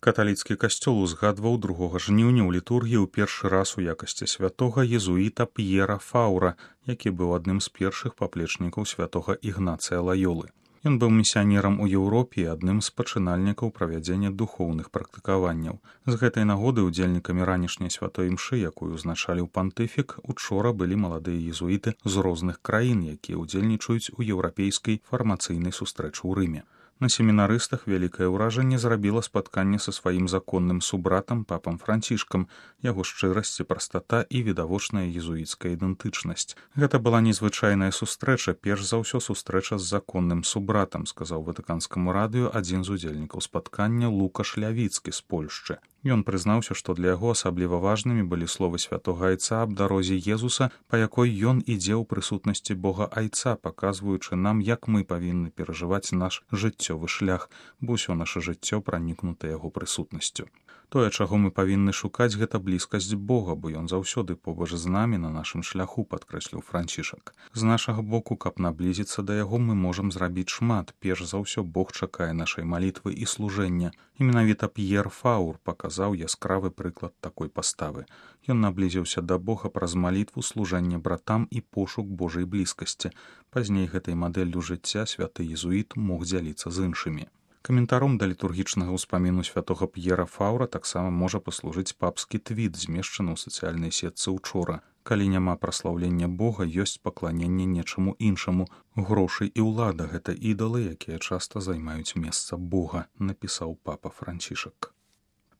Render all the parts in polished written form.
Каталіцкі касцёл узгадваў 2 жніўня ў літургіі ў першы раз у якасці святога езуіта П'ера Фаура, які быў адным з першых паплечнікаў святога Ігнацыя Лайолы. Ён быў місіянерам у Еўропе і адным з пачынальнікаў правядзення духоўных практыкаванняў. З гэтай нагоды удзельнікамі ранішняй святой імшы, якую узначаліў пантыфік, учора былі маладыя езуіты з розных краін, якія ўдзельнічаюць у еўрапейскай фармацыйнай сустрэчы ў Рыме. На семінарыстах вялікае ўражанне зрабіла спатканне са сваім законным субратам папам Францішкам, яго шчырасць і прастата і відавочная езуіцкая ідэнтычнасць. Гэта была незвычайная сустрэча, перш за ўсё сустрэча з законным субратам, сказаў ватыканскаму радыё адзін з удзельнікаў спаткання Лукаш Лявіцкі з Польшчы. Ён прызнаўся, што для яго асабліва важнымі былі словы святога айца аб дарозе Езуса, па якой ён ідзе ў прысутнасці Бога айца, паказваючы нам, як мы павінны перажываць наш жыццёвы шлях, бо ўсё наша жыццё пранікнута яго прысутнасцю. Тое, чаго мы павінны шукаць, гэта блізкасць Бога, бо ён заўсёды побач з намі на нашым шляху, падкрэсліў Францішак. З нашага боку, каб наблізіцца да яго, мы можам зрабіць шмат. Перш за ўсё Бог чакае нашай малітвы і служэння. І менавіта П'ер Фаур паказаў яскравы прыклад такой паставы. Ён наблізіўся да Бога праз малітву, служэнне братам і пошук Божай блізкасці. Пазней гэтай мадэллю жыцця святы езуіт мог дзяліцца з іншымі. Каментаром да літургічнага ўспаміну святога П'ера Фаура таксама можа паслужыць папскі твіт, змешчаны ў сацыяльнай сетцы учора. Калі няма праслаўлення Бога, ёсць пакланенне нечаму іншаму. Грошы і ўлада — гэта ідалы, якія часта займаюць месца Бога, напісаў папа Францішак.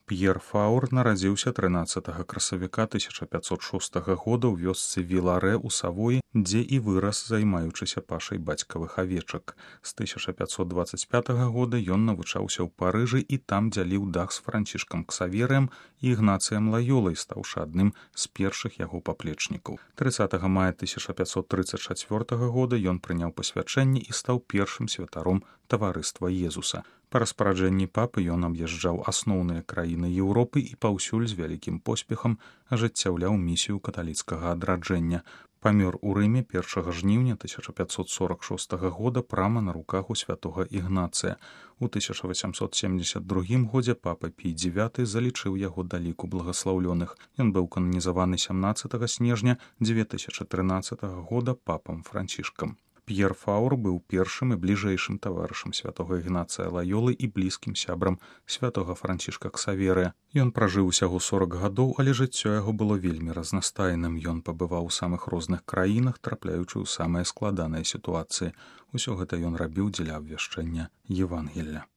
П'ер Фаур нарадзіўся 13 красавіка 1506 года ў вёсцы Віларэ ў Савоі, дзе і вырас, займаючыся пашай бацькавых авечак. З 1525 года ён навучаўся ў Парыжы і там дзяліў дах з Францішкам Ксаверыем і Ігнацыем Лайолай, стаўшы адным з першых яго паплечнікаў. 30 мая 1534 года ён прыняў пасвячэнне і стаў першым святаром таварыства Езуса. Па распараджэнні папы ён аб'язджаў асноўныя краіны Еўропы і паўсюль з вялікім поспехам ажыццяўляў місію каталіцкага адраджэння. Памёр у Рыме 1 жніўня 1546 года прама на руках у святога Ігнацыя. У 1872 годзе папа Пій IX залічыў яго да ліку благаслаўлёных. Ён быў кананізаваны 17 снежня 2013 года папам Францішкам. П'ер Фаур быў першым і бліжэйшым таварышам святога Ігнацыя Лайолы і блізкім сябрам святога Францішка Ксаверыя. Ён пражыў усяго 40 гадоў, але жыццё яго было вельмі разнастайным. Ён пабываў у самых розных краінах, трапляючы ў самыя складаныя сітуацыі. Усё гэта ён рабіў дзеля абвяшчэння Евангелля.